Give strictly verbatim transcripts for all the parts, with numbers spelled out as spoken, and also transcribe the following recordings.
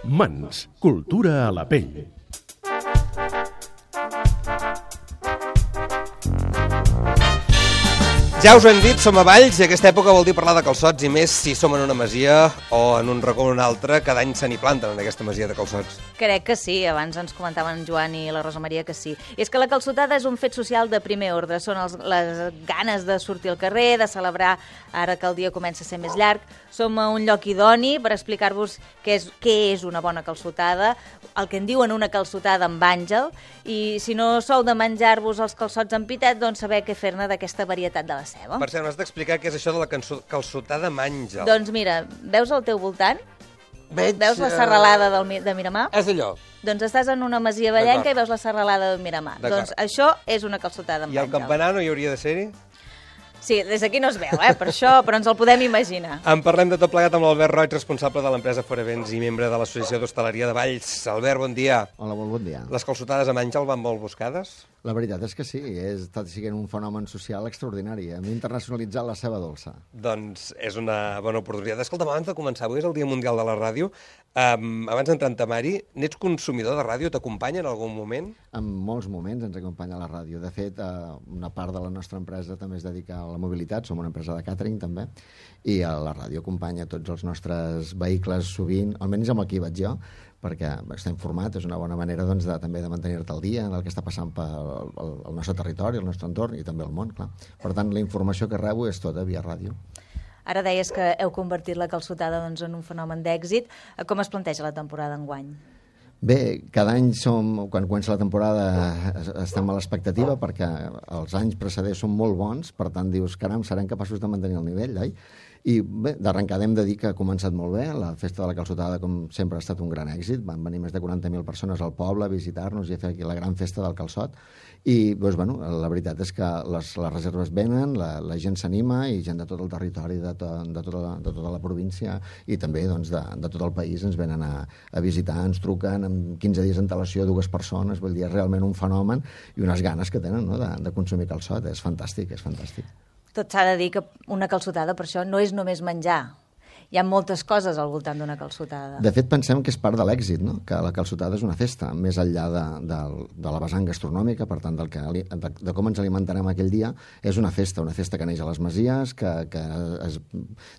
Mans, cultura a la pell. Ja us ho hem dit, som a Valls i aquesta època vol dir parlar de calçots, i més si som en una masia o en un racó o un altre, cada any se n'hi planten en aquesta masia de calçots. Crec que sí, abans ens comentaven en Joan i la Rosa Maria que sí. I és que la calçotada és un fet social de primer ordre, són els, les ganes de sortir al carrer, de celebrar ara que el dia comença a ser més llarg. Som a un lloc idoni per explicar-vos què és, què és una bona calçotada, el que en diuen una calçotada amb àngel, i si no sou de menjar-vos els calçots amb pitet, doncs saber què fer-ne d'aquesta varietat de la ceba. Per cert, m'has d'explicar què és això de la calçotada amb àngel. Doncs mira, veus al teu voltant? Veig, veus la serralada del, de Miramar? És allò. Doncs estàs en una masia vallenca i veus la serralada de Miramar. Doncs això és una calçotada amb àngel. I el campanar no hi hauria de ser-hi? Sí, des d'aquí no es veu, eh, per això, però ens el podem imaginar. En parlem de tot plegat amb l'Albert Roig, responsable de l'empresa Fora Events i membre de l'Associació d'Hostaleria de Valls. Albert, bon dia. Hola, molt bon dia. Les calçotades amb àngel van molt buscades? La veritat és que sí, és, està sent un fenomen social extraordinari. Hem internacionalitzat la ceba dolça. Doncs és una bona oportunitat. Escolta'm, abans de començar, avui és el Dia Mundial de la Ràdio. Um, abans d'entrar en temari, n'ets consumidor de ràdio? T'acompanya en algun moment? En molts moments ens acompanya la ràdio. De fet, uh, una part de la nostra empresa també es dedica a la mobilitat, som una empresa de càtering també, i a la ràdio acompanya tots els nostres vehicles sovint, almenys amb el que hi vaig jo, perquè està informat, és una bona manera doncs, de, també de mantenir-te al dia en el que està passant pel el, el nostre territori, el nostre entorn i també el món, clar. Per tant, la informació que rebo és tota via ràdio. Ara deies que heu convertit la calçotada doncs, en un fenomen d'èxit. Com es planteja la temporada enguany? Bé, cada any som, quan comença la temporada estem a l'expectativa perquè els anys precedents són molt bons, per tant dius, caram, serem capaços de mantenir el nivell, oi? I bé, d'arrencada hem de dir que ha començat molt bé. La festa de la calçotada, com sempre, ha estat un gran èxit. Van venir més de quaranta mil persones al poble a visitar-nos i a fer aquí la gran festa del calçot. I doncs, bueno, la veritat és que les, les reserves venen, la, la gent s'anima i gent de tot el territori, de, to, de, tota, la, de tota la província i també doncs, de, de tot el país ens venen a, a visitar, ens truquen amb quinze dies d'antelació dues persones, vull dir, és realment un fenomen i unes ganes que tenen, no?, de, de consumir calçot. És fantàstic, és fantàstic. Tot s'ha de dir que una calçotada, per això, no és només menjar. Hi ha moltes coses al voltant d'una calçotada. De fet, pensem que és part de l'èxit, no?, que la calçotada és una festa, més enllà de, de, de la vessant gastronòmica, per tant, del que, de, de com ens alimentarem aquell dia, és una festa, una festa que neix a les masies, que, que es,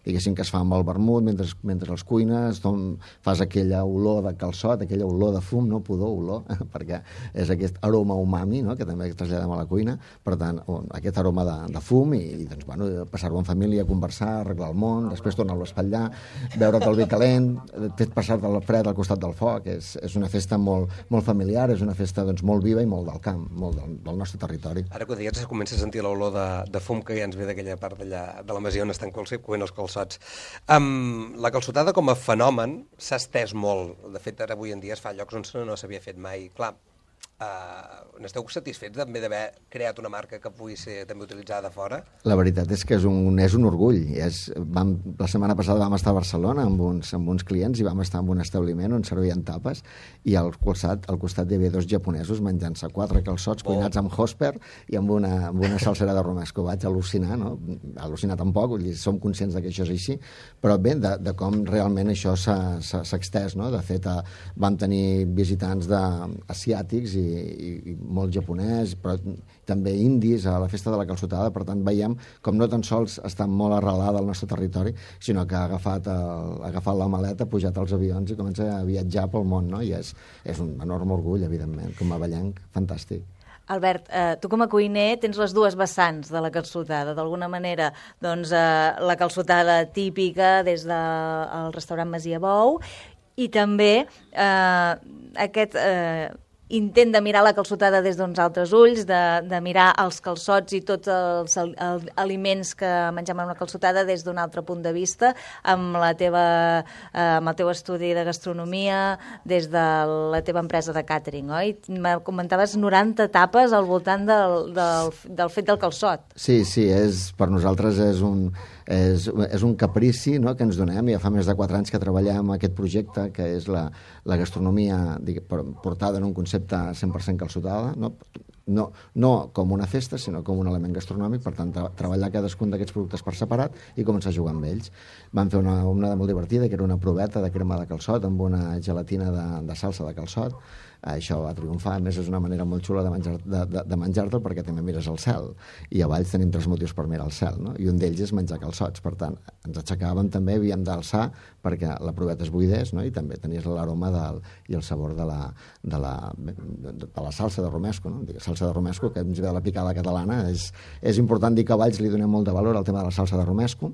diguéssim que es fa amb el vermut mentre, mentre els cuines, doncs, fas aquella olor de calçot, aquella olor de fum, no pudor, olor, perquè és aquest aroma umami, no?, que també traslladem a la cuina, per tant, aquest aroma de, de fum i, i doncs, bueno, passar-ho en família, conversar, arreglar el món, després tornar-lo a espatllar, beure't el vi calent, fet passar-te el fred al costat del foc. És, és una festa molt, molt familiar, és una festa doncs, molt viva i molt del camp, molt del, del nostre territori. Ara que ho deies, comença a sentir l'olor de, de fum que ja ens ve d'aquella part d'allà, de la masia on estan coent els calçots. Um, la calçotada com a fenomen s'ha estès molt. De fet, ara avui en dia es fa llocs on no s'havia fet mai. Clar, Uh, n'esteu satisfets també d'haver creat una marca que pugui ser també utilitzada fora? La veritat és que és un, és un orgull. És, vam, la setmana passada vam estar a Barcelona amb uns, amb uns clients i vam estar en un establiment on servien tapes i al costat, al costat hi havia dos japonesos menjant-se quatre calçots oh. cuinats amb hosper i amb una, amb una salsera de romesco. Vaig al·lucinar, no? Al·lucinar tampoc, vull dir, som conscients de que això és així, però bé, de, de com realment això s'ha extès, no? De fet, uh, vam tenir visitants de, asiàtics i I, i molt japonès, però també indis a la festa de la calçotada. Per tant, veiem com no tan sols està molt arrelada al nostre territori, sinó que ha agafat, el, ha agafat la maleta, ha pujat als avions i comença a viatjar pel món, no? I és, és un enorme orgull, evidentment, com a vallenc, fantàstic. Albert, eh, tu com a cuiner tens les dues vessants de la calçotada. D'alguna manera, doncs, eh, la calçotada típica des del restaurant Masia Bou i també eh, aquest... Eh, intent de mirar la calçotada des d'uns altres ulls, de, de mirar els calçots i tots els, els aliments que mengem en una calçotada des d'un altre punt de vista, amb, la teva, eh, amb el teu estudi de gastronomia, des de la teva empresa de càtering, oi? Me comentaves noranta tapes al voltant del, del, del fet del calçot. Sí, sí, és, per nosaltres és un... És, és un caprici, no?, que ens donem. Ja fa més de quatre anys que treballem aquest projecte, que és la, la gastronomia digue, portada en un concepte cent per cent calçotada, no? no, no com una festa, sinó com un element gastronòmic, per tant, tra treballar cadascun d'aquests productes per separat i començar a jugar amb ells. Vam fer una, una molt divertida, que era una proveta de crema de calçot amb una gelatina de, de salsa de calçot. Això va triomfar, a més és una manera molt xula de menjar-te'l de, de, de menjar perquè també mires al cel, i a Valls tenim tres motius per mirar al cel, no? I un d'ells és menjar calçots, per tant, ens aixecàvem també, havíem d'alçar perquè la proveta es buidés, no? I també tenies l'aroma i el sabor de la, de, la, de, de la salsa de romesco, no? Salsa de romesco, que ens ve de la picada catalana, és, és important dir que a Valls li donem molt de valor al tema de la salsa de romesco,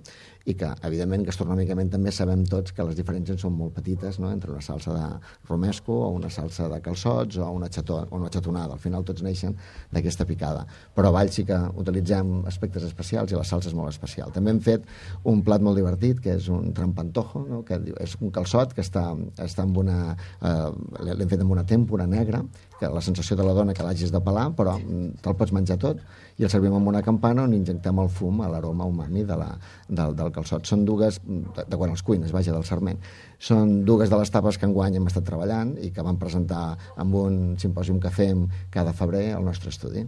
i que, evidentment, gastronòmicament també sabem tots que les diferències són molt petites, no?, entre una salsa de romesco o una salsa de calçots o una, xató, o una xatonada. Al final tots neixen d'aquesta picada. Però a Valls sí que utilitzem aspectes especials i la salsa és molt especial. També hem fet un plat molt divertit, que és un trampantojo, no?, que és un calçot que està, està amb una... Eh, l'hem fet amb una tèmpora negra, que la sensació de la dona que l'hagis de pelar, però te'l pots menjar tot, i el servim amb una campana on injectem el fum a l'aroma umami de la, del, del calçot. Són dues, de, de quan els cuines, vaja, del sarment, són dues de les tapes que enguany hem estat treballant i que vam presentar amb un simpòsium que fem cada febrer al nostre estudi.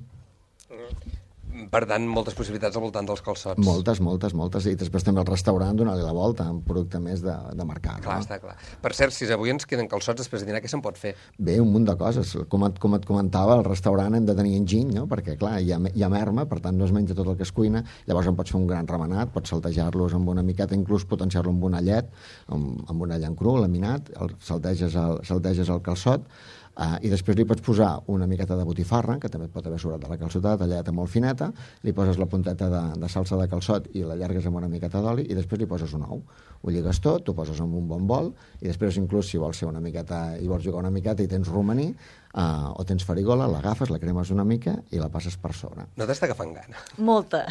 Per tant, moltes possibilitats al voltant dels calçots. Moltes, moltes, moltes. I després també el restaurant donar-li la volta, un producte més de, de mercat. Clar, no? Està clar. Per cert, si avui ens queden calçots després de dinar, què se'n pot fer? Bé, un munt de coses. Com et, com et comentava, al restaurant hem de tenir enginy, no? Perquè, clar, hi ha, hi ha merma, per tant no es menja tot el que es cuina, llavors en pots fer un gran remenat, pots saltejar-los amb una miqueta, inclús potenciar-lo amb un allet, amb, amb un allant cru, laminat, el, salteges, el, salteges el calçot, Uh, i després li pots posar una miqueta de botifarra, que també pot haver sobrat de la calçotada, tallada molt fineta, li poses la punteta de, de salsa de calçot i l'allargues amb una miqueta d'oli, i després li poses un ou. Ho lligues tot, t'ho poses en un bon bol, i després inclús si vols ser una miqueta i vols jugar una miqueta i tens romaní, uh, o tens farigola, l'agafes, la cremes una mica i la passes per sobre. No t'està agafant gana? Molta,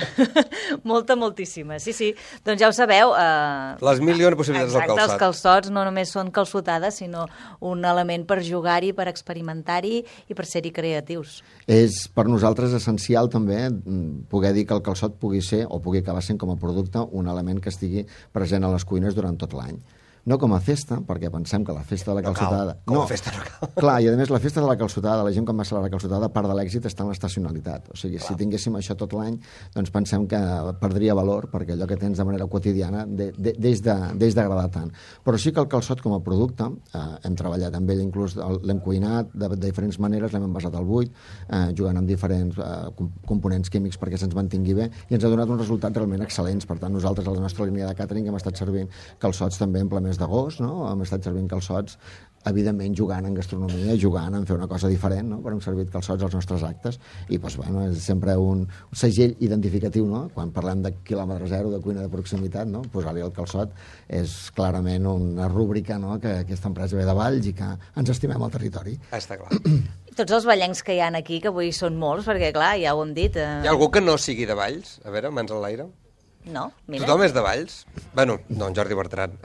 molta, moltíssima. Sí, sí, doncs ja ho sabeu. Uh... Les milions de possibilitats del calçot. Exacte, els calçots no només són calçotades, sinó un element per jugar-hi, per experimentar-hi i per ser-hi creatius. És per nosaltres essencial també poder dir que el calçot pugui ser o pugui acabar sent com a producte un element que estigui present a les cuines durant tot l'any. No com a festa, perquè pensem que la festa de la calçotada... No cal, com a festa no cal. Clar, i a més la festa de la calçotada, la gent quan va celebrar la calçotada, part de l'èxit està en l'estacionalitat. O sigui, clar, si tinguéssim això tot l'any, doncs pensem que perdria valor, perquè allò que tens de manera quotidiana de, de, deix d'agradar tant. Però sí que el calçot com a producte, eh, hem treballat amb ell, inclús l'hem cuinat de, de diferents maneres, l'hem envasat al buit, eh, jugant amb diferents eh, components químics perquè se'ns mantingui bé, i ens ha donat uns resultats realment excel·lents. Per tant, nosaltres, a la nostra línia de càtering, hem estat servint calçots també en ple mes d'agost, no? Hem estat servint calçots, evidentment jugant en gastronomia, jugant en fer una cosa diferent, no? Però hem servit calçots als nostres actes i doncs, bueno, és sempre un, un segell identificatiu, no? Quan parlem de quilòmetre zero, de cuina de proximitat, no? Posar-li el calçot és clarament una rúbrica, no? que aquesta empresa ve de Valls i que ens estimem al territori. Està clar. Tots els ballencs que hi ha aquí, que avui són molts, perquè clar, ja ho hem dit... Eh... Hi ha algú que no sigui de Valls? A veure, mans a l'aire. No, mira. Tothom és de Valls? Bueno, no, en Jordi Bertran.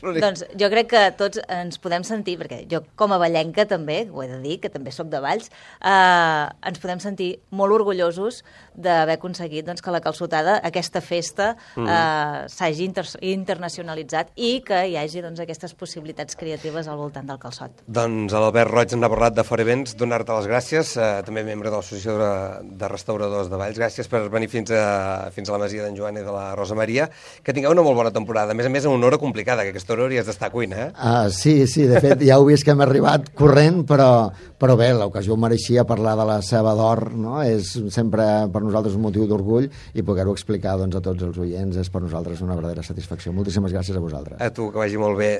Doncs jo crec que tots ens podem sentir, perquè jo com a vallenca també, ho he de dir, que també sóc de Valls, eh, ens podem sentir molt orgullosos d'haver aconseguit doncs, que la calçotada, aquesta festa, mm. eh, s'hagi inter internacionalitzat i que hi hagi doncs, aquestes possibilitats creatives al voltant del calçot. Doncs l'Albert Roig ens ha parlat de Fora Events, donar-te les gràcies, eh, també membre de l'Associació de, de Restauradors de Valls. Gràcies per venir fins a, fins a la Masia d'en Joan i de la Rosa Maria, que tingueu una molt bona temporada. A més a més, en una hora complicada, que aquesta hora hauries d'estar a cuina, eh? Ah, sí, sí, de fet, ja heu vist que hem arribat corrent, però, però bé, l'ocasió mereixia parlar de la ceba d'or, no? És sempre per nosaltres un motiu d'orgull i poder-ho explicar doncs, a tots els oients és per nosaltres una verdadera satisfacció. Moltíssimes gràcies a vosaltres. A tu, que vagi molt bé.